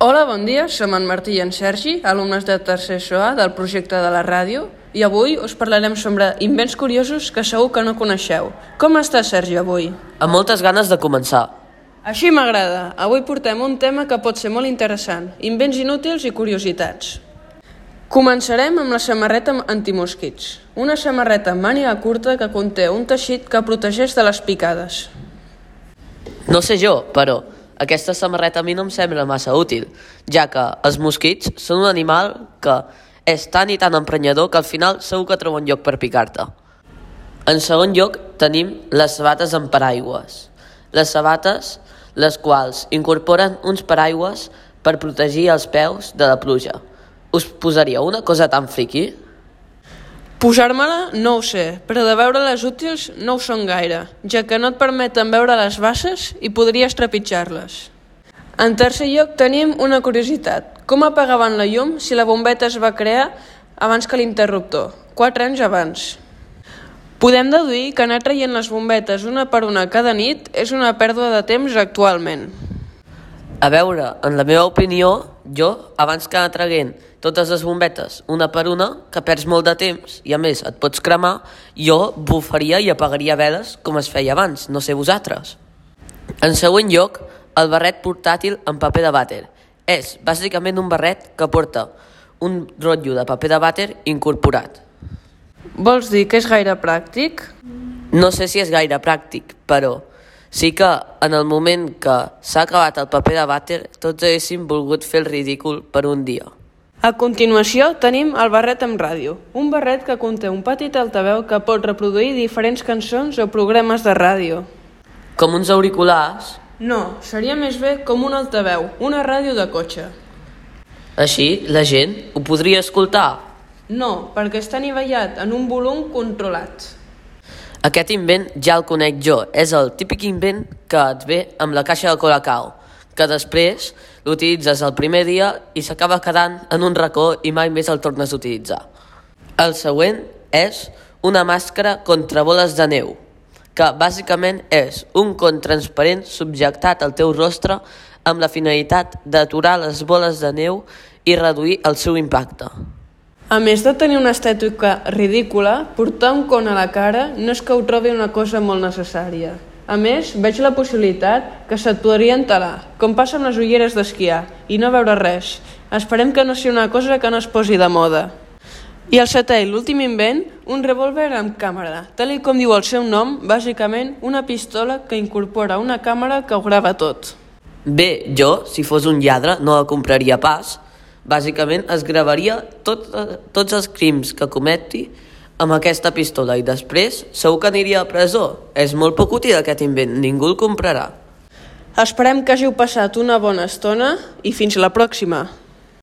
Hola, bon dia, som en Martí i en Sergi, alumnes de tercer SOA del projecte de la ràdio, i avui us parlarem sobre invents curiosos que segur que no coneixeu. Com està, Sergi, avui? Amb moltes ganes de començar. Així m'agrada. Avui portem un tema que pot ser molt interessant, invents inútils i curiositats. Començarem amb la samarreta antimosquits, una samarreta amb màniga curta que conté un teixit que protegeix de les picades. No sé jo, però aquesta samarreta a mi no em sembla massa útil, ja que els mosquits són un animal que és tan i tan emprenyador que al final segur que troba un lloc per picar-te. En segon lloc tenim les sabates amb paraigües. Les sabates, les quals incorporen uns paraigües per protegir els peus de la pluja. Us posaria una cosa tan friqui? Posar-me-la no ho sé, però de veure-les útils no ho són gaire, ja que no et permeten veure les basses i podries trepitjar-les. En tercer lloc tenim una curiositat. Com apagaven la llum si la bombeta es va crear abans que l'interruptor? 4 anys abans. Podem deduir que anar traient les bombetes una per una cada nit és una pèrdua de temps actualment. A veure, en la meva opinió, jo, abans que anar traient totes les bombetes una per una, que perds molt de temps i a més et pots cremar, jo bufaria i apagaria veles com es feia abans, no sé vosaltres. En següent lloc, el barret portàtil amb paper de vàter. És bàsicament un barret que porta un rotllo de paper de vàter incorporat. Vols dir que és gaire pràctic? No sé si és gaire pràctic, però sí que en el moment que s'ha acabat el paper de vàter tots haguéssim volgut fer el ridícul per un dia. A continuació tenim el barret amb ràdio, un barret que conté un petit altaveu que pot reproduir diferents cançons o programes de ràdio. Com uns auriculars? No, seria més bé com un altaveu, una ràdio de cotxe. Així la gent ho podria escoltar. No, perquè està anivellat en un volum controlat. Aquest invent ja el conec jo, és el típic invent que et ve amb la caixa de Colacao, que després l'utilitzes el primer dia i s'acaba quedant en un racó i mai més el tornes a utilitzar. El següent és una màscara contra boles de neu, que bàsicament és un con transparent subjectat al teu rostre amb la finalitat d'aturar les boles de neu i reduir el seu impacte. A més de tenir una estètica ridícula, portar un con a la cara no és que ho trobi una cosa molt necessària. A més, veig la possibilitat que se't podria entelar, com passa amb les ulleres d'esquiar, i no veure res. Esperem que no sigui una cosa que no es posi de moda. I el setè i l'últim invent, un revòlver amb càmera. Tal com diu el seu nom, bàsicament una pistola que incorpora una càmera que ho grava tot. Bé, jo, si fos un lladre, no la compraria pas. Bàsicament es gravaria tots els crims que cometi amb aquesta pistola i després segur que aniria a presó. És molt poc útil aquest invent, ningú el comprarà. Esperem que hàgiu passat una bona estona i fins la pròxima.